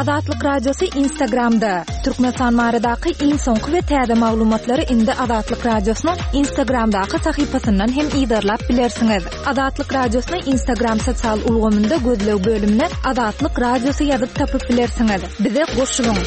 Azatlyk Radiosy Instagramda! Türkmenistan baradaky iň soňky we täze maglumatlary indi Azatlyk Radiosynyň Instagramdaky sahypasyndan hem yzarlap bilersiňiz. Azatlyk Radiosyny Instagram sosial ulgamynda gözleg bölümine Azatlyk Radiosy ýazyp tapyp bilersiňiz. Bize goşulyň!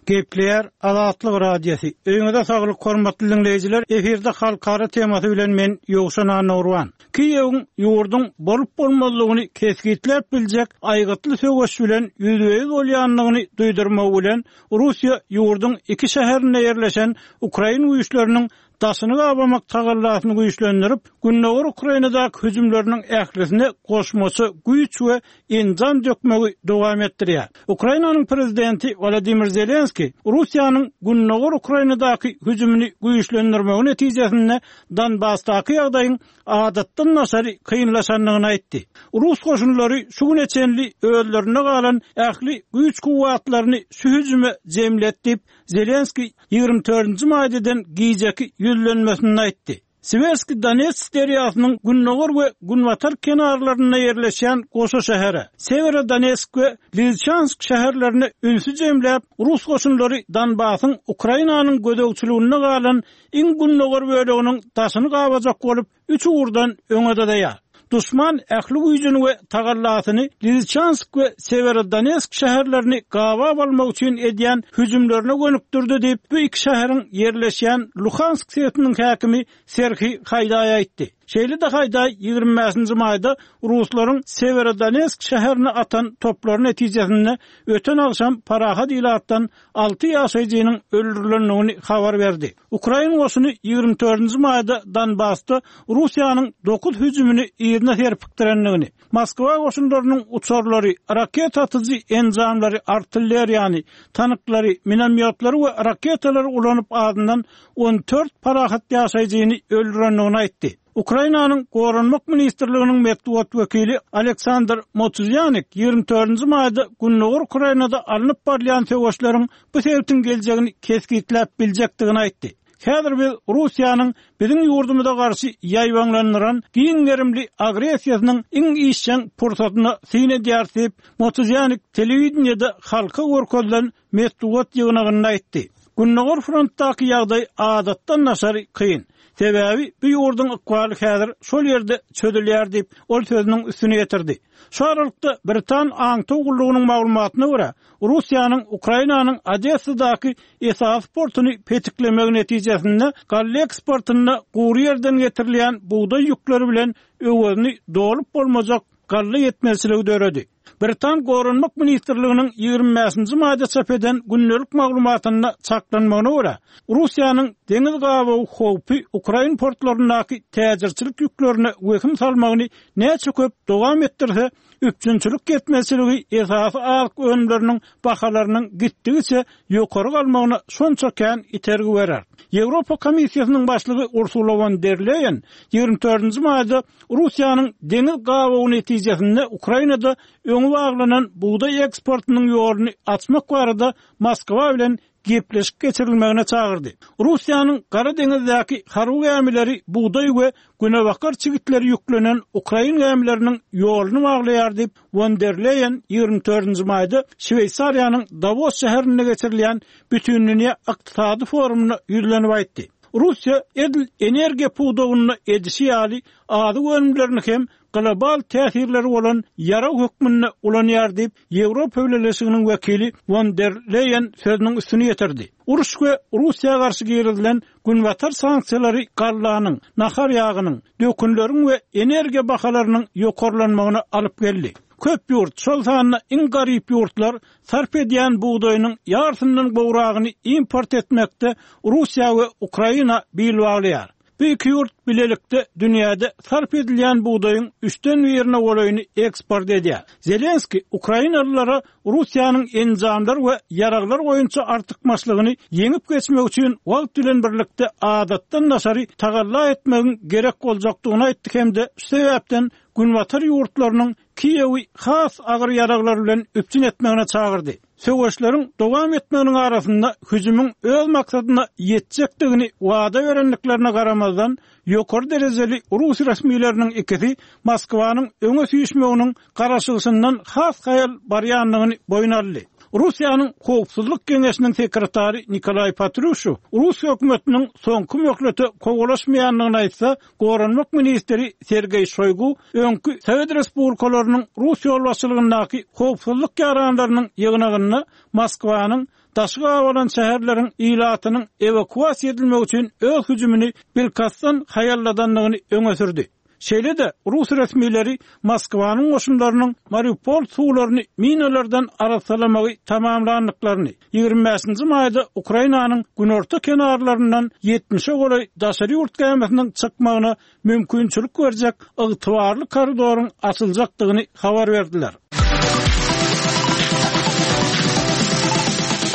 Gepleýär Azatlyk Radiosy. Öýüňize saglyk hormatly diňleýjiler, efirde halkara temasy bilen men Ýowşan Annagurban. Kiýewiň ýurduň bolup-bolmazlygyny kesgitläp biljek aýgytly söweş bilen ýüzbe-ýüz bolýandygyny duýdurmagy bilen Russiýa ýurduň iki şäherinde ýerleşen ukrain güýçleriniň daşyny gabamak tagallasyny güýçlendirip, gündogar Ukrainadaky hüjümleriniň ählisine goşmaça güýç we enjam dökmegi dowam etdirýär. Ukrainanyň prezidenti Wolodymyr Zelenskiý Russiýanyň gündogar Ukrainadaky hüjümini güýçlendirmegi netijesinde Donbasdaky ýagdaýyň adatdan daşary kynlaşandygyny aýtdy. Rus goşunlary şu güne çenli özlerinde galan ähli güýç-kuwwatlaryny şu hüjüme jemledi diýip, Zelenskiý 24-nji maýda eden gijeki ýüzlenmesinde aýtdy. Siwerski Donets derýasynyň gündogar we günbatar kenarlarynda ýerleşýän goşa şähere, Sewerodonetsk we Lizçansk şäherlerine ünsi jemläp, rus goşunlary Donbasyň Ukrainanyň gözegçiliginde galan iň gündogar böleginiň daşyny gabajak bolup, üç ugurdan öňe dyzaýar. Duşman ähli güýjüni we tagallasyny Lisiçansk we Sewerodonetsk şäherlerini gabap almak üçin edýän hüjümlerine gönükdirdi diýip, bu iki şäheriň ýerleşýän Luhansk sebitiniň häkimi Serhiý Haýdaý aýtdy. Şeýle-de Haýdaý 25 nji maýda ruslaryň Sewerodonetsk şäherine atan toplary netijesinde öten agşam parahat ilatdan alty ýaşaýjynyň öldürilendigini habar berdi. Ukrain goşuny 24 nji maýda Donbasda Russiýanyň dokuz hüjümini yzyna serpikdirendigini, Moskwa goşunlarynyň uçarlary, raketa atyjy enjamlary, artilleriýany, tanklary, minomýotlary we raketalary ulanyp azyndan 14 parahat ýaşaýjyny öldürendigini aýtdy. Ukrainanyň Goranmak ministrliginiň metbugat wekili Aleksandr Motuzýanik 24 nji maýda gündogar Ukrainada alnyp barylýan söweşleriň bu sebitiň geljegini kesgitläp biljekdigini aýtdy. Häzir biz Russiýanyň biziň ýurdumyza garşy ýaýbaňlandyran giň gerimli agressiýasynyň iň işjeň pursatyna syn edýäris diýip, Motuzýanik telewideniýede halka görkezilen metbugat ýygnagynda aýtdy. Gündogar frontdaky ýagdaý adatdan daşary kyn. Sebäbi bu ýurduň ykbaly häzir şol ýerde çözülýär diýip, ol sözüniň üstüni ýetirdi. Şu aralykda, britan aňtaw gullugynyň maglumatyna görä, Russiýanyň Ukrainanyň Odessadaky esasy portuny petiklemegi netijesinde galla eksportynda gury ýerden getirilýän bugdaý ýükleri bilen öwezini dolup bolmajak galla ýetmezçiligi döredi. Britan Goranmak ministrliginiň 25-nji maýda çap eden gündelik maglumatynda çaklanmagyna görä, Russiýanyň deňiz gabawy howpy ukrain portlaryndaky täjirçilik ýüklerine wehim salmagyny näçe köp dowam etdirse, üpjünçilik ýetmezçiligi esasy azyk önümleriniň bahalarynyň gitdigiçe ýokary galmagyna şonça kän itergi berer. Ýewropa Komissiýasynyň başlygy Ursula won der Leýen 24-nji maýda Russiýanyň deňiz gabawy netijesinde Ukrainada öňi baglanan bugdaý eksportynyň ýoluny açmak barada Moskwa bilen gepleşik geçirilmegine çagyrdy. Russiýanyň Gara deňizdäki harby gämileri bugdaý we günebakar çigitleri ýüklenen ukrain gämileriniň ýoluny baglaýar diýip, won der Leýen 24-nji maýda Şweýsariýanyň Dawos şäherinde geçirilýän Bütindünýä ykdysady forumynda ýüzlenip aýtdy. Russiýa edil energiýa pudagynda edişi ýaly azyk önümlerini hem global täsirleri bolan ýarag hökmünde ulanýar diýip, Ýewropa Bileleşiginiň wekili Won der Leýen sözüniň üstüni ýetirdi. Uruş we Russiýa garşy girizilen Günbatar sanksiýalary gallanyň, nahar ýagynyň, dökünleriň we energiýa bahalarynyň ýokarlanmagyna alyp geldi. Köp ýurt, şol sanda iň garyp ýurtlar sarp edýän bugdaýynyň ýarysyndan gowragyny import etmekde Russiýa we Ukraina bil baglaýar. Bu iki ýurt bilelikde dünýäde sarp edilýän bugdaýyň üçden birine golaýyny eksport edýär. Zelenskiý ukrainalylara Russiýanyň enjamlar we ýaraglar boýunça artykmaçlygyny ýeňip geçmek üçin wagt bilen birlikde adatdan daşary tagalla etmegiň gerek boljakdygyny aýtdy hem-de şu sebäpden günbatar ýurtlarynyň Kiýewi has agyr ýaraglar bilen üpjün etmegine çagyrdy. Söweşleriň dowam etmeginiň arasynda hüjümiň öz maksadyna ýetjekdigini wada berendiklerine garamazdan, ýokary derejeli rus resmileriniň ikisi Moskwanyň öňe süýşmeginiň garaşylyşyndan has haýal barýandygyny boýun aldy. Russiýanyň Howpsuzlyk geňeşiniň sekretary Nikolaý Patruşew rus hökümetiniň soňky möhlete kowalaşmaýandygyny aýtsa, Goranmak ministri Sergeý Şoýgu öňki sowet respublikalarynyň rus ýolbaşçylygyndaky howpsuzlyk ýaranlarynyň ýygnagynda Moskwanyň daşy gabalan şäherleriň ilatynyň ewakuasiýa edilmegi üçin öz hüjümini bilkastdan haýalladandygyny öňe sürdi. Şeýle-de, rus resmileri Moskwanyň goşunlarynyň Mariupol suwlaryny minalardan arassalamagy tamamlandyklaryny, 25-nji maýda Ukrainanyň günorta kenarlaryndan ýetmişe golaý daşary ýurt gämisiniň çykmagyna mümkinçilik berjek ygtybarly koridoryň açyljakdygyny habar berdiler.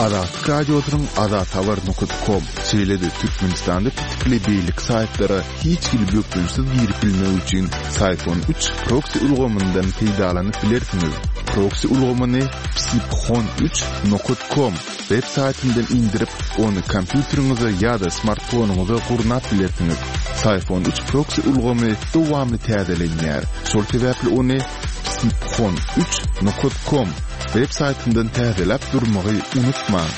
Azatlyk Radiosynyň azathabar nokat kom, şeýle-de Türkmenistanda petikli beýleki saýtlara hiç hili bökdençsiz girip bilmek üçin Syfon üç proksi ulgamyndan peýdalanyp bilersiňiz. Proksi ulgamyny psiphon üç nokat kom web saýtyndan indirip, ony kompýuteriňize ýa-da smartfonyňyza gurnap bilersiňiz. Syfon üç proksi ulgamy dowamly täzelenýär. Şol sebäpli ony psiphon üç nokat kom web saýtyndan täzeläp durmagy unutmaň.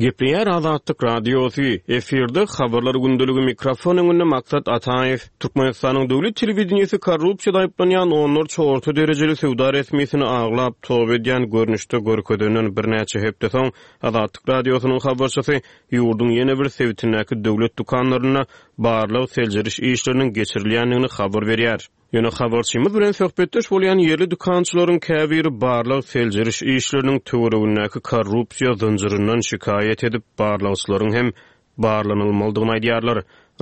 Gepleýär Azatlyk Radiosy, efirde Habarlar gündeligi mikrofon öňünde Maksat Ataýew. Türkmenistanyň döwlet telewideniýesi korrupsiýada aýyplanýan onlarça orta derejeli söwda resmisini aglap, toba edýän görnüşde görkezenden birnäçe hepde soň, Azatlyk Radiosynyň habarçysy ýurduň ýene bir sebitindäki döwlet dükanlarynda barlag-seljeriş işleriniň geçirilýändigini habar berýär. Ýöne habarçymyz bilen söhbetdeş bolýan ýerli dükançylaryň käbiri barlag-seljeriş işleriniň töweregindäki korrupsiýa zynjyryndan şikaýat edip, barlagçylaryň hem barlanylmalydygyny aýdýarlar.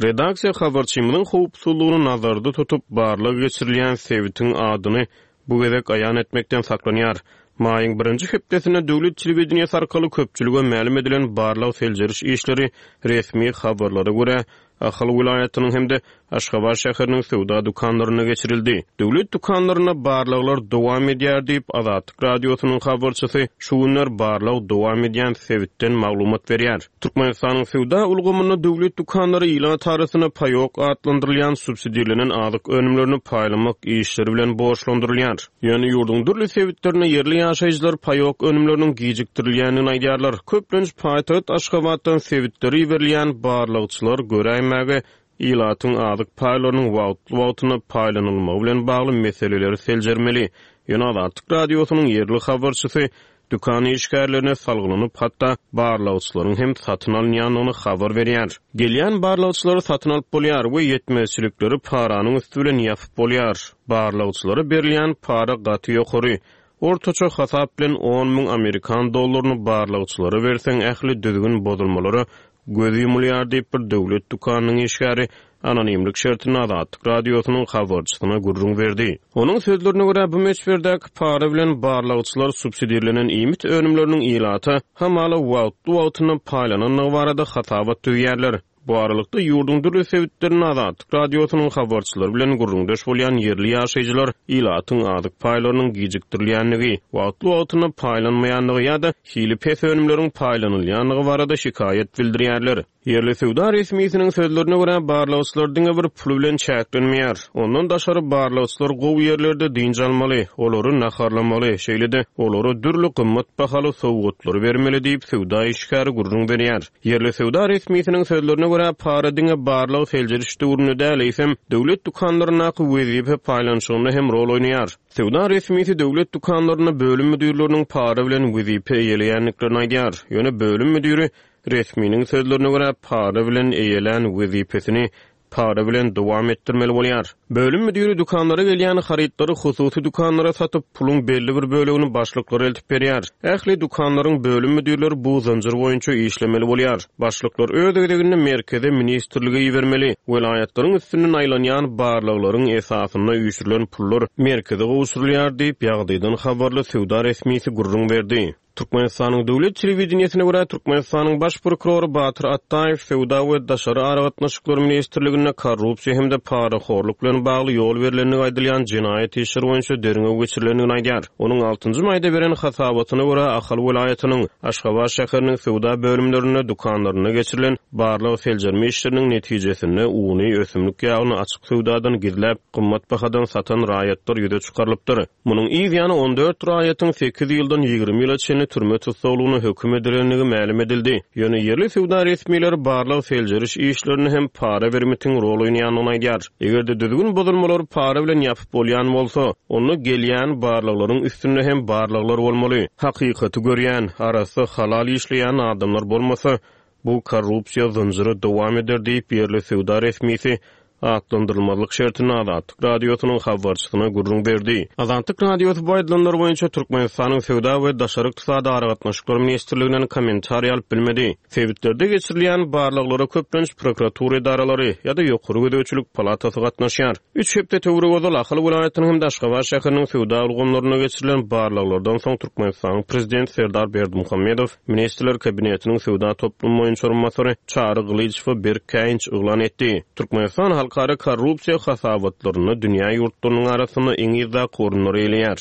Redaksiýa habarçymyzyň howpsuzlygyny nazarda tutup, barlag geçirilýän sebitiň adyny bu gezek aýan etmekden saklanýar. Maýyň birinji hepdesinde döwlet telewideniýesi arkaly köpçülige mälim edilen barlag-seljeriş işleri resmi habarlara görä, Ahal welaýatynyň hem-de Aşgabat şäheriniň söwda dükanlarynda geçirildi. Döwlet dükanlarynda barlaglar dowam edýär diýip, Azatlyk Radiosynyň habarçysy şu günler barlag dowam edýän sebitden maglumat berýär. Türkmenistanyň söwda ulgamynda döwlet dükanlary ilat arasynda paýok atlandyrylýan subsidirlenen azyk önümlerini paýlamak işleri bilen borçlandyrylýar. Ýöne ýurduň dürli sebitlerinde ýerli ýaşaýjylar paýok önümleriniň gijikdirilýändigini aýdýarlar. Köplenç paýtagt Aşgabatdan sebitlere iberilýän barlagçylar göräýmäge ilatyň azyk paýlarynyň wagtly-wagtynda paýlanylmagy bilen bagly meseleleri seljermeli. Ýöne Azatlyk Radiosynyň ýerli habarçysy Dükan işgärlerine salgylanyp, hatda barlagçylaryň hem satyn alynýandygyny habar berýär. Gelýän barlagçylary satyn alyp bolýar we ýetmezçilikleri paranyň üsti bilen ýapyp bolýar. Barlagçylara berilýän para gaty ýokary. Ortaça hasap bilen 10 müň amerikan dollaryny barlagçylara berseň ähli düzgün bozulmalara Göz ýumulýar diýip, bir döwlet dükanynyň işgäri anonimlik şertinde Azatlyk Radiosynyň habarçysyna gürrüň berdi. Onuň sözlerine görä, bu möçberdäki para bilen barlagçylar subsidirlenen iýmit önümleriniň ilata hamala wagtly-wagtynda paýlanandygy barada hasabat düzýärler. Bu aralykda, ýurduň dürli sebitlerinde Azatlyk Radiosynyň habarçylary bilen gürrüňdeş bolýan ýerli ýaşaýjylar ilatyň azyk paýlarynyň gijikdirilýändigi, wagtly-wagtynda paýlanmaýandygy ýa-da hili pes önümleriň paýlanylýandygy barada şikaýat bildirýärler. Ýerli söwda resmisiniň sözlerine görä, barlagçylar diňe bir pul bilen çäklenmeýär. Ondan daşary barlagçylar gowy ýerlerde dynç almaly, olary naharlamaly, şeýle-de olara dürli gymmat bahaly sowgatlary bermeli diýip, söwda işgäri gürrüň berýär. Ýerli söwda resmisiniň sözlerine görä, para diňe barlag-seljeriş döwründe däl, eýsem, döwlet dükanlaryndaky wezipe paýlanyşygynda hem rol oýnaýar. Söwda resmisi döwlet dükanlarynda bölüm müdirleriniň para bilen wezipe eýeleýändiklerini aýdýar. Ýöne bölüm müdiri, resminiň sözlerine görä, para bilen eýelän wezipesini para bilen dowam etdirmeli bolýar. Bölüm müdiri dükanlara gelýän harytlary hususy dükanlara satyp, puluň belli bir bölegini başlyklara eltip berýär. Ähli dükanlaryň bölüm müdirleri bu zynjyr boýunça işlemeli bolýar. Başlyklar öz gezeginde merkeze, ministrlige ibermeli. Welaýatlaryň üstünden aýlanýan barlaglaryň esasynda üýşürilen pullar merkeze gowşurylýar diýip, ýagdaýdan habarly söwda resmisi gürrüň berdi. Türkmenistanyň döwlet telewideniýesine görä, Türkmenistanyň baş prokurory Batyr Atdaýew Söwda we daşary aragatnaşyklar ministrliginde korrupsiýa hem-de parahorluk bilen bagly ýol berlendigi aýdylýan jenaýat işleri boýunça derňew geçirilendigini aýdýar. Onuň altynjy maýda beren hasabatyna görä, Ahal welaýatynyň Aşgabat şäheriniň söwda bölümlerinde, dükanlarynda geçirilen barlag-seljerme işleriniň netijesinde uny, ösümlik ýagyny açyk söwdadan gizläp, gymmat bahadan satan raýatlar ýüze çykarylypdyr. Munuň yz ýany 14 raýatyň sekiz ýyldan 20 ýyla çenli türme tussaglygyna höküm edilendigi mälim edildi. Ýöne ýerli söwda resmileri barlag-seljeriş işlerinde hem para-bermitiň rol oýnaýandygyny aýdýar. Eger-de düzgün bozulmalary para bilen ýapyp bolýan bolsa, onda gelýän barlaglaryň üstünde hem barlaglar bolmaly. Hakykaty görýän, arassa, halal işleýän adamlar bolmasa, bu korrupsiýa zynjyry dowam eder diýip, ýerli söwda resmisi atlandyrylmazlyk şertinde Azatlyk Radiosynyň habarçysyna gürrüň berdi. Azatlyk Radiosy bu aýdylanlar boýunça Türkmenistanyň Söwda we daşary ykdysady aragatnaşyklar ministrliginden kommentariý alyp bilmedi. Sebitlerde geçirilýän barlaglara köplenç prokuratura edaralary ýa-da Ýokary gözegçilik palatasy gatnaşýar. Üç hepde töweregi ozal Ahal welaýatynyň hem-de Aşgabat şäheriniň söwda ulgamlarynda geçirilen barlaglardan soň Türkmenistanyň Prezidenti Serdar Berdimuhamedow Ministrler Kabinetiniň söwda toplumy boýunça orunbasary Çary Gylyjowa berk käýinç yglan etdi. Türkmenistan halkara korrupsiýa hasabatlarynda dünýä ýurtlarynyň arasynda iň yzdaky orunlary eýeleýär.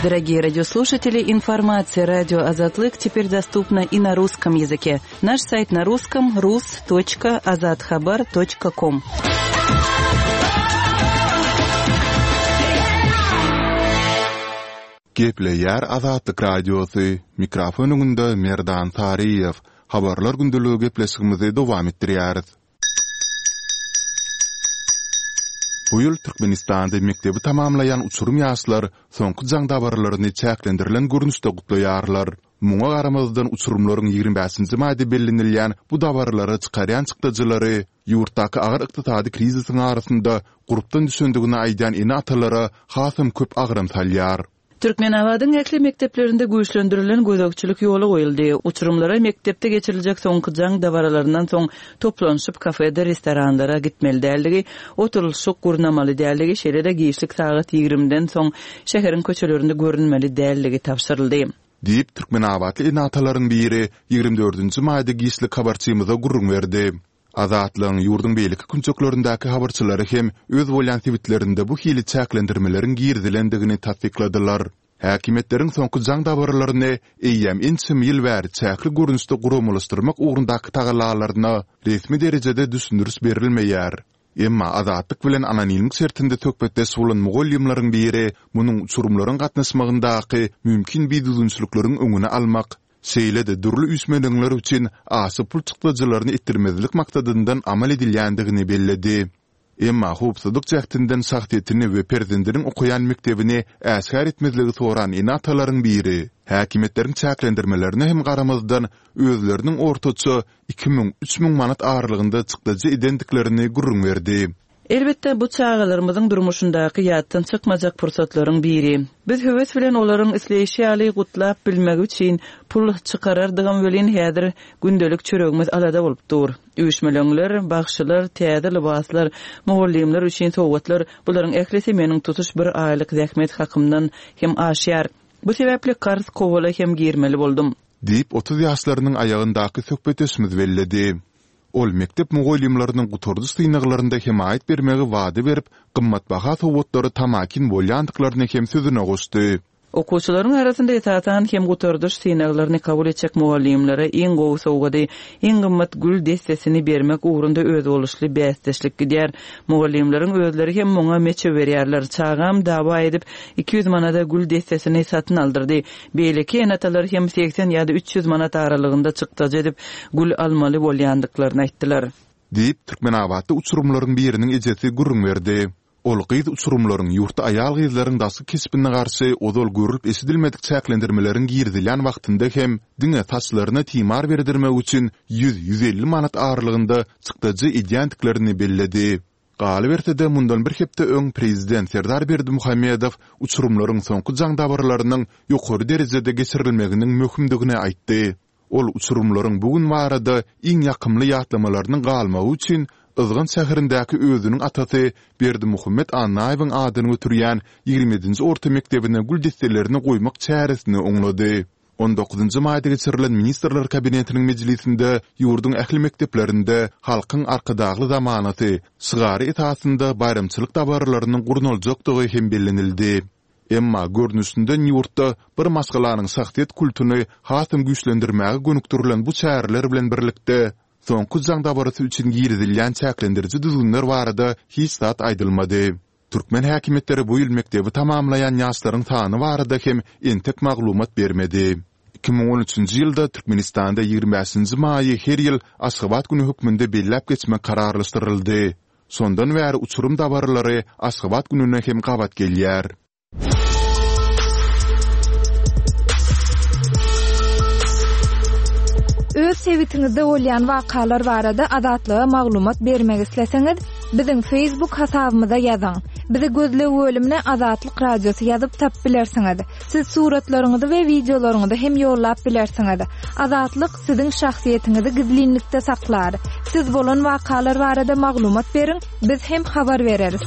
Дорогие радиослушатели, информация радио Азатлык теперь доступна и на русском языке. Наш сайт на русском rus.azathabar.com. Gepleýär Azatlyk Radiosy, mikrofon öňünde Merdan Saryýew. Habarlar gündeligi gepleşigimizi dowam etdirýäris. Bu ýyl Türkmenistanda mekdebi tamamlaýan uçurym ýaşlar soňky jaň dabaralaryny çäklendirilen görnüşde gutlaýarlar. Muňa garamazdan uçurymlaryň 25-nji maýda bellenilýän bu dabaralara çykarýan çykdajylary ýurtdaky agyr ykdysady krizisiň arasynda gurpdan düşendigini aýdýan ene-atalara hasam köp agram salýar. Türkmenabadyň ähli mekdeplerinde güýçlendirilen gözegçilik ýola goýuldy. Uçurymlara mekdepde geçiriljek soňky jaň dabaralaryndan soň toplanyşyp kafedir restoranlara gitmeli däldigi, oturylyşyk gurnamaly däldigi, şeýle-de giçlik sagat ýigrimiden soň şäheriň köçelerinde görünmeli däldigi tabşyryldy. Diýip, türkmenabatly ene-atalaryň biri 24 dördünji maýda giçlik habarçymyza gürrüň berdi. Azatlygyň ýurduň beýleki künjeklerindäki habarçylary hem öz bolýan sebitlerinde bu hili çäklendirmeleriň girizilendigini tassykladylar. Häkimiýetleriň soňky jaň dabaralaryny eýýäm ençeme ýyl bäri çäkli görnüşde guramalaşdyrmak ugrundaky tagallalaryna resmi derejede düşündiriş berilmeýär. Emma Azatlyk bilen anonimlik şertinde söhbetdeş bolan mugallymlaryň biri munuň uçurymlaryň gatnaşmagyndaky mümkin bidüzgünçilikleriň öňüni almak, şeýle-de dürli üýşmeleňler üçin aşa pul çykdajylaryny etdirmezlik maksadyndan amal edilýändigini belledi. Emma howpsuzlyk jähtinden şahsyýetini we perzendiniň okaýan mekdebini äşgär etmezligi soran ene-atalaryň biri, häkimiýetleriň çäklendirmelerine hem garamazdan, özleriniň ortaça 2000, 3000 manat aralygynda çykdajy edendiklerini gürrüň berdi. Elbetde, bu çagalarymyzyň durmuşyndaky ýatdan çykmajak pursatlaryň biri. Biz höwes bilen olaryň isleýşi ýaly gutlap bilmegi üçin pul çykarardygam welin, häzir gündelik çöregimiz alada bolup dur. Üýşmeleňler, bagşylar, täze lybaslar, mugallymlar üçin sowgatlar, bularyň ählisi meniň tutuş bir aýlyk zähmet hakymdan hem aşýar. Bu sebäpli karz kowala hem girmeli boldum. Diýip, 30 ýaşlarynyň aýagyndaky söhbetdeşimiz belledi. Ol mekdep mugallymlarynyň gutardyş synaglarynda hemaýat bermegi wada berip, gymmatbaha sowgatlara tamakin bolýandyklaryny hem sözüne goşdy. Okuwçylaryň arasynda esasan hem gutardyş synaglaryny kabul etjek mugallymlara iň gowy sowgady, iň gymmat gül dessesini bermek ugrunda özboluşly bäsdeşlik gidýär. Mugallymlaryň özleri hem muňa meçew berýärler. Çagam dawa edip, 200 manada gül dessesini satyn aldyrdy. Beýleki ene-atalar hem 80 ýa-da 300 manat aralygynda çykdajy edip, gül almaly bolýandyklaryny aýtdylar. Diýip, türkmenabatly uçurymlaryň biriniň ejesi gürrüň berdi. Ol gyz uçurymlaryň ýurtda aýal-gyzlaryň daşky keşbine garşy ozal görlüp-eşidilmedik çäklendirmeleriň girizilýän wagtynda hem diňe saçlaryna timar berdirmek üçin ýüz-ýüz elli manat aralygynda çykdajy edýändiklerini belledi. Galyberse-de, mundan bir hepde öň prezident Serdar Berdimuhamedow uçurymlaryň soňky jaň dabaralarynyň ýokary derejede geçirilmeginiň möhümdigini aýtdy. Ol uçurymlaryň bu gün barada iň ýakymly ýatlamalarynyň galmagy üçin Yzgant şäherindäki özüniň atasy Berdimuhamet Annaýewiň adyny göterýän 27-nji orta mekdebine gül desselerini goýmak çäresini oňlady. On dokuzynjy maýda geçirilen Ministrler Kabinetiniň mejlisinde ýurduň ähli mekdeplerinde Halkyň Arkadagly zamanasy şygary esasynda baýramçylyk dabaralarynyň gurnaljakdygy hem bellenildi. Emma görnüşinden ýurtda bir maşgalanyň şahsyýet kultuny hasam güýçlendirmäge gönükdirilen bu çäreler bilen birlikde, soňky jaň dabarasy üçin girizilýän çäklendiriji düzgünler barada hiç zat aýdylmady. Türkmen häkimiýetleri bu ýyl mekdebi tamamlaýan ýaşlaryň sany barada hem entek maglumat bermedi. 2013-nji ýylda Türkmenistanda 25-nji maýy her ýyl Aşgabat güni hökmünde belläp geçmek kararlaşdyryldy. Şondan bäri uçurym dabaralary Aşgabat gününe hem gabat gelýär. Öz sebitiňizde bolýan wakalar barada Azatlyga maglumat bermek isleseňiz, biziň Facebook hasabymyza ýazyň. Bizi gözleg bölümine Azatlyk Radiosy ýazyp tapyp bilersiňiz. Siz suratlaryňyzy we wideolaryňyzy hem ýollap bilersiňiz. Azatlyk siziň şahsyýetiňizi gizlinlikde saklar. Siz bolan wakalar barada maglumat beriň, biz hem habar bereris.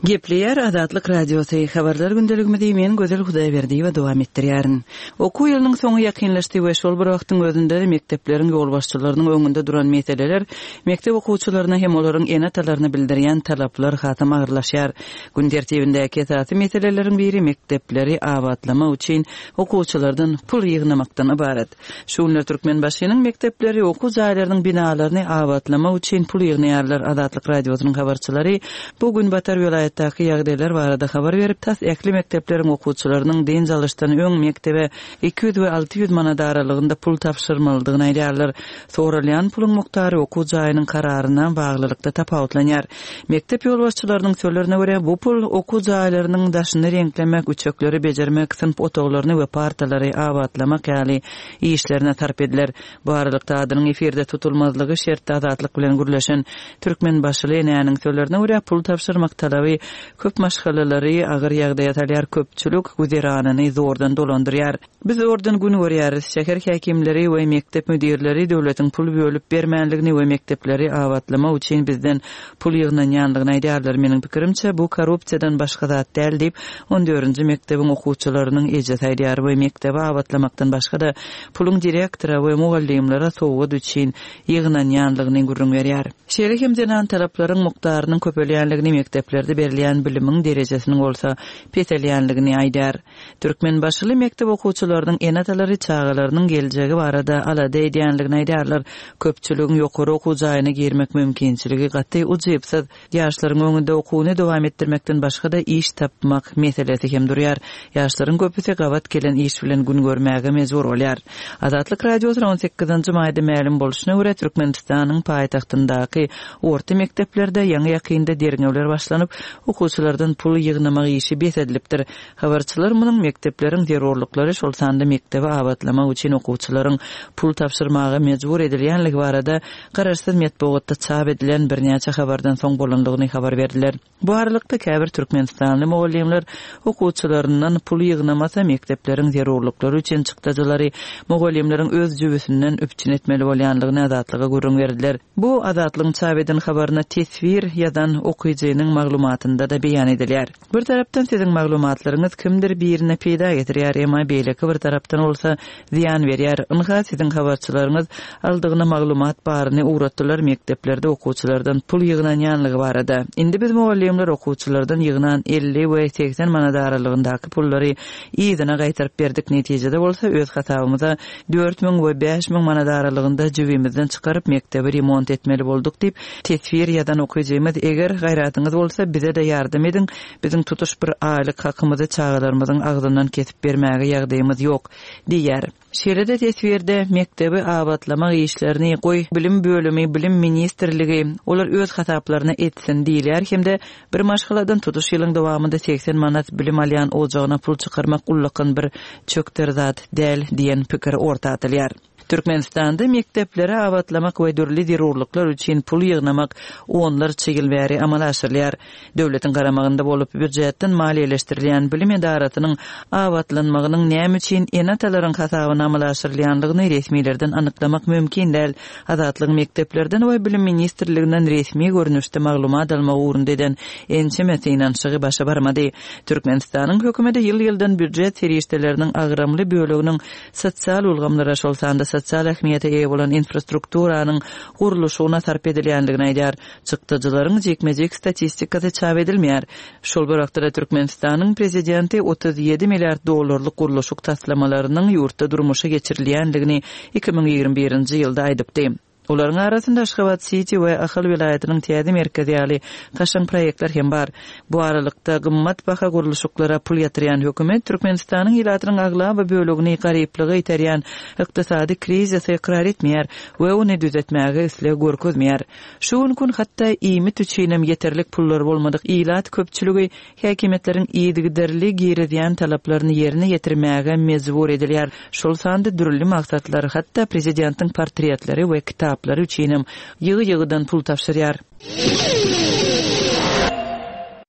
Gepleýär Azatlyk Radiosy, Habarlar gündeligimizi men Gözel Hudaýberdiýewa dowam etdirýärin. Okuw ýylynyň soňy ýakynlaşdy we şol bir wagtyň özünde-de mekdepleriň ýolbaşçylarynyň öňünde duran meseleler, mekdep okuwçylaryna hem olaryň ene-atalaryna bildirýän talaplar hasam agyrlaşýar. Gün tertibindäki esasy meseleleriň biri mekdepleri abatlamak üçin okuwçylardan pul ýygnamakdan ybarat. Şu günler Türkmenbaşynyň mekdepleri okuw jaýlarynyň binalaryny abatlamak üçin pul ýygnaýarlar. Azatlyk Radiosynyň habarçylary bu günbatar welaýatdaky ýagdaýlar barada habar berip, tas ähli mekdepleriň okuwçylarynyň dynç alyşdan öň mekdebe 200 we 600 manat aralygynda pul tabşyrmalydygyny aýdýarlar. Soralýan puluň mukdary okuw jaýynyň kararyna baglylykda tapawutlanýar. Mekdep ýolbaşçylarynyň sözlerine görä, bu pul okuw jaýlarynyň daşyny reňklemek, üçekleri bejermek, synp otaglaryny we partalary abatlamak ýaly işlerine sarp ediler. Bu aralykda, adynyň efirde tutulmazlygy şertli Azatlyk bilen gürleşen türkmenbaşyly enäniň sözlerine görä, pul tabşyrmak talaby köp maşgalalary agyr ýagdaýa salýar, köpçülik güzeranyny zordan dolandyrýar. Biz zordan gün görýäris. Şäher häkimleri we mekdep müdirleri döwletiň pul bölüp bermänligini we mekdepleri abatlamak üçin bizden pul ýygnanýanlygyny aýdýarlar. Meniň pikirimçe, bu korrupsiýadan başga zat däl diýip, on dördünji mekdebiň okuwçylarynyň ejesi aýdýar we mekdebi abatlamakdan başga-da puluň direktora we mugallymlara sowgat üçin ýygnanýanlygyny gürrüň berýär. Şeýle hem zenan talaplaryň mukdarynyň köpelýänligini, mekdeplerde berilýän bilimiň derejesiniň bolsa peselýänligini aýdýar. Türkmenbaşyly mekdep okuwçylarynyň ene-atalary çagalarynyň geljegi barada alada edýänligini aýdýarlar. Köpçüligiň ýokary okuw jaýyna girmek mümkinçiligi gaty ujypsyz. Ýaşlaryň öňünde okuwyny dowam etdirmekden başga-da iş tapmak meselesi hem durýar. Ýaşlaryň köpüsi gabat gelen iş bilen gün görmäge mejbur bolýar. Azatlyk Radiosyna on sekizinji maýda mälim bolşuna görä, Türkmenistanyň paýtagtyndaky orta mekdeplerde ýaňy-ýakynda derňewler başlanyp, okuwçylardan pul ýygnamak işi bes edilipdir. Habarçylar munuň mekdepleriň zerurlyklary, şol sanda mekdebi abatlamak üçin okuwçylaryň pul tabşyrmaga mejbur edilýänligi barada garaşsyz metbugatda çap edilen birnäçe habardan soň bolandygyny habar berdiler. Bu aralykda, käbir türkmenistanly mugallymlar okuwçylaryndan pul ýygnamasa, mekdepleriň zerurlyklary üçin çykdajylary mugallymlaryň öz jübüsinden üpjün etmeli bolýanlygyny Azatlyga gürrüň berdiler. Bu Azatlygyň çap eden habaryna teswir ýazan okyjynyň maglumatynda-da beýan edilýär. Bir tarapdan siziň maglumatlaryňyz kimdir birine peýda getirýär, emma beýleki bir tarapdan bolsa zyýan berýär. Ynha, siziň habarçylaryňyz aldygyna maglumat baryny ugratdylar mekdeplerde okuwçylardan pul ýygnanýanlygy barada. Indi biz mugallymlar okuwçylardan ýygnan 50 we 80 manat aralygyndaky pullary yzyna gaýtaryp berdik, netijede bolsa öz hasabymyza 4000 we 5000 manat aralygynda jübimizden çykaryp mekdebi remont etmeli bolduk diýip, Teswir ýazan okyjymyz eger gaýratyňyz bolsa bize-de ýardam ediň, biziň tutuş bir aýlyk hakymyzy çagalarymyzyň agzyndan kesip bermäge ýagdaýymyz ýok diýýär. Şeýle-de teswirde mekdebi abatlamak işlerini goý bilim bölümi, bilim ministrligi, olar öz hasaplaryna etsin diýilýär hem-de bir maşgaladan tutuş ýylyň dowamynda 80 manat bilim alýan ojagyna pul çykarmak ullakan bir çökder zat däl diýen pikir orta atylýar. Türkmenistanda mekdepleri abatlamak we dürli zerurlyklar üçin pul ýygnamak onlarça ýyl bäri amala aşyrylýar. Döwletiň garamagynda bolup, býujetden maliýeleşdirilýän bilim edarasynyň abatlanmagynyň näme üçin ene-atalaryň hasabyna amala aşyrylýanlygyny resmilerden anyklamak mümkin däl. Azatlygyň mekdeplerden we Bilim ministrliginden resmi görnüşde maglumat almak ugrunda eden ençeme synanyşygy başa barmady. Türkmenistanyň hökümeti ýyl-ýyldan býujet serişdeleriniň agramly böleginiň sosial ulgamlara, şol sanda sosial ähmiýete eýe bolan infrastrukturanyň gurluşygyna sarp edilýändigini aýdýar. Çykdajylaryň jikme-jik statistikasy çap edilmeýär. Şol bir wagtda-da Türkmenistanyň prezidenti 37 milliard dollarlyk gurluşyk taslamalarynyň ýurtda durmuşa geçirilýändigini 2021-nji ýylda aýdypdy. Olaryň arasynda Aşgabat-siti we Ahal welaýatynyň täze merkezi ýaly kaşaň proýektler hem bar. Bu aralykda, gymmat baha gurluşyklara pul ýatyrýan hökümet Türkmenistanyň ilatynyň aglaba bölegini garyplyga iterýän ykdysady krizisi ykrar etmeýär we ony düzetmäge isleg görkezmeýär. Şu günki gün hatda iýmit üçinem ýeterlik pullary bolmadyk ilat köpçüligi häkimiýetleriň yzygiderli girizýän talaplaryny ýerine ýetirmäge mejbur edilýär, şol sanda dürli maksatlar, hatda prezidentiň portretleri we kitaplary üçinem ýygy-ýygydan pul tabşyrýar.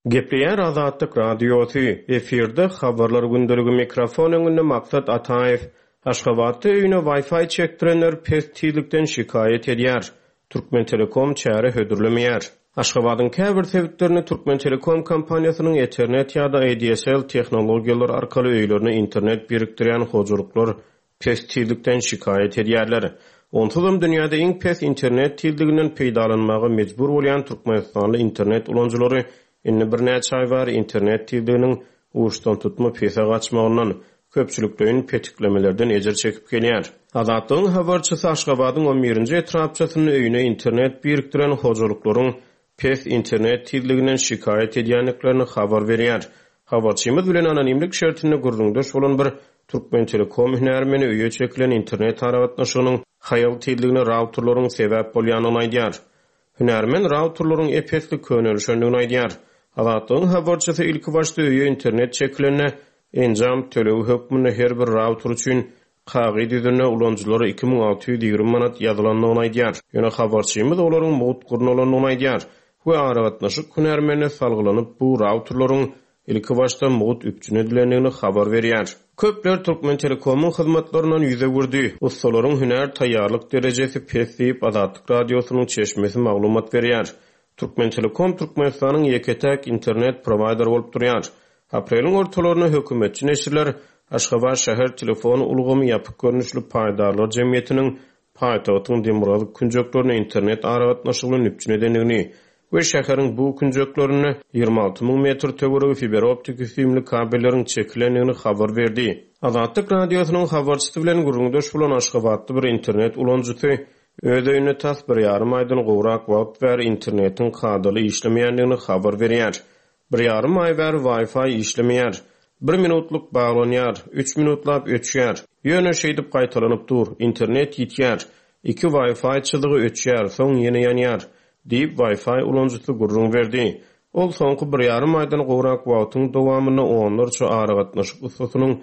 Gepleýär Azatlyk Radiosy, Efirde Habarlar gündeligi mikrofon öňünde Maksat Ataýew. Aşgabatda öýüne Wi-Fi çekdirenler pes tizlikden şikaýat edýär. Türkmentelekom çäre hödürlemeýär. Aşgabadyň käbir sebitlerinde Türkmentelekom kompaniýasynyň Ethernet ýa-da ADSL tehnologiýalary arkaly öýlerine internet birikdirýän hojalyklar pes tizlikden şikaýat edýärler. Onsuzam dünýäde iň pes internet tizliginden peýdalanmaga mejbur bolýan türkmenistanly internet ulanyjylary Indi birnäçe aý bäri internet tizliginiň uçdantutma pese gaçmagyndan, köpçülikleýin petiklemelerden ejir çekip gelýär. Azatlygyň habarçysy Aşgabadyň on birinji etrapçasynda öýüne internet birikdiren hojalyklaryň pes internet tizliginden şikaýat edýändiklerini habar berýär. Habarçymyz bilen anonimlik şertinde gürrüňdeş bolan bir Türkmentelekom hünärmeni öýe çekilen internet aragatnaşygynyň haýal tizligine rauterleriň sebäp bolýandygyny aýdýar. Hünärmen routerleriň ep-esli könelişendigini aýdýar. Azatlygyň habarçysy ilkibaşda öýe internet çekilende, enjam tölegi hökmünde her bir router üçin kagyz ýüzünde ulanyjylara 2620 manat ýazylandygyny aýdýar. Ýöne habarçymyz olaryň mugt gurnalandygyny aýdýar we aragatnaşyk hünärmenine salgylanyp bu routerleriň Ilkibaşda mugt üpjün edilendigini habar berýär. Köpler Türkmentelekomyň hyzmatlaryndan ýüz öwürdi. Ussalaryň hünär taýýarlyk derejesi pes diýip, Azatlyk Radiosynyň çeşmesi maglumat berýär. Türkmentelekom Türkmenistanyň ýeke-täk internet prowaýderi bolup durýar. Apreliň ortalarynda hökümetçi neşirler Aşgabat şäher telefon ulgamy ýapyk görnüşli paýdarlar jemgyýetiniň paýtagtyň demirgazyk künjeklerini internet aragatnaşygy bilen üpjün edendigini we şäheriň bu künjeklerinde 26 müň metr töweregi fiberoptiki süýümli kabelleriň çekilendigini habar berdi. Azatlyk Radiosynyň habarçysy bilen gürrüňdeş bolan aşgabatly bir internet ulanyjysy öz öýünde tas bir ýarym aýdan gowrak wagt bäri internetiň kadaly işlemeýändigini habar berýär. Bir ýarym aý bäri Wi-Fi işlemeýär. Bir minutlyk baglanýar, üç minutlap öçýär. Ýöne şeýdip gaýtalanyp dur. Internet ýitýär. Iki Wi-Fi çyzygy öçýär, soň ýene ýanýar, diýip, Wi-Fi ulanyjysy gürrüň berdi. Ol soňky bir ýarym aýdan gowrak wagtyň dowamynda onlarça aragatnaşyk ussasynyň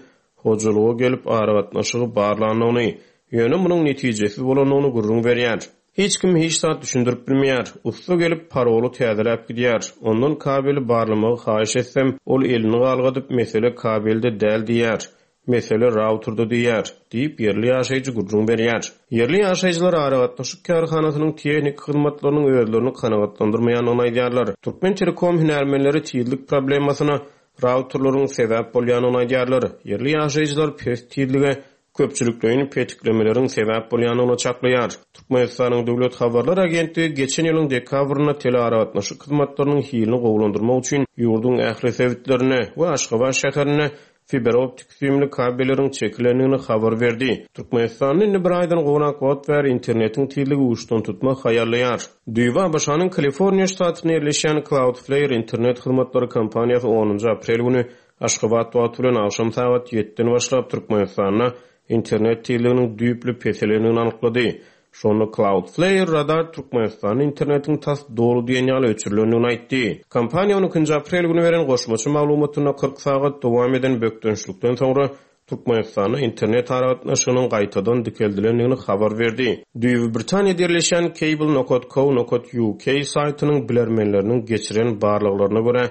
hojalyga gelip aragatnaşygy barlandygyny, ýöne munuň netijesiz bolandygyny gürrüň berýär. Hiç kim hiç zat düşündirip bilmeýär. Ussa gelip, paroly täzeläp gidýär. Ondan kabeli barlamagy haýyş etsem, ol elini galgadyp, mesele kabelde däl diýýär. Mesele rauterde diýýär, diýip, ýerli ýaşaýjy gürrüň berýär. Ýerli ýaşaýjylar aragatnaşyk kärhanasynyň tehniki hyzmatlarynyň özlerini kanagatlandyrmaýandygyny aýdýarlar. Türkmentelekom hünärmenleri tizlik problemasyna routerleriň sebäp bolýandygyny aýdýarlar. Ýerli ýaşaýjylar pes tizlige köpçülikleýin petiklemeleriň sebäp bolýandygyny çaklaýar. Türkmenistanyň Döwlet habarlar agentligi geçen ýylyň dekabrynda telearagatnaşyk hyzmatlarynyň hilini gowulandyrmak üçin ýurduň ähli sebitlerinde we Aşgabat şäherinde fiberoptik süýümli kabelleriň çekilendigini habar berdi. Türkmenistanda indi bir aýdan gowrak wagt bäri internetiň tizligi uçdantutma haýallaýar. Düýbi ABŞ-nyň Kaliforniýa ştatynda ýerleşýän Cloudflare internet hyzmatlary kompaniýasy onunjy aprel güni Aşgabat wagty bilen agşam sagat ýediden başlap Türkmenistanda internet tizliginiň düýpli peselendigini anyklady. Şonda Cloudflare Radar Türkmenistanda internetiň tas doly diýen ýaly öçürilendigini aýtdy. Kompaniýa on ikinji aprel güni beren goşmaça maglumatynda 40 sagat dowam eden bökdençlikden soňra. Türkmenistanda internet aragatnaşygynyň gaýtadan dikeldilendigini habar berdi. Düýbi Britaniýada ýerleşýän Cable nokat co nokat uk saýtynyň bilermenleriniň geçiren barlaglaryna görä,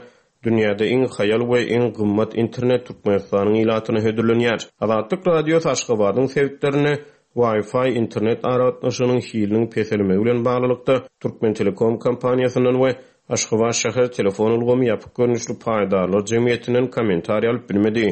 dünýäde iň haýal we iň gymmat internet Türkmenistanyň ilatyna hödürlenýär. Azatlyk Radiosy Aşgabadyň sebitlerinde Wi-Fi internet aragatnaşygynyň hiliniň peselmegi bilen baglylykda, Türkmentelekom kompaniýasyndan we Aşgabat şäher telefon ulgamy ýapyk görnüşli paýdarlar jemgyýetinden kommentariý alyp bilmedi.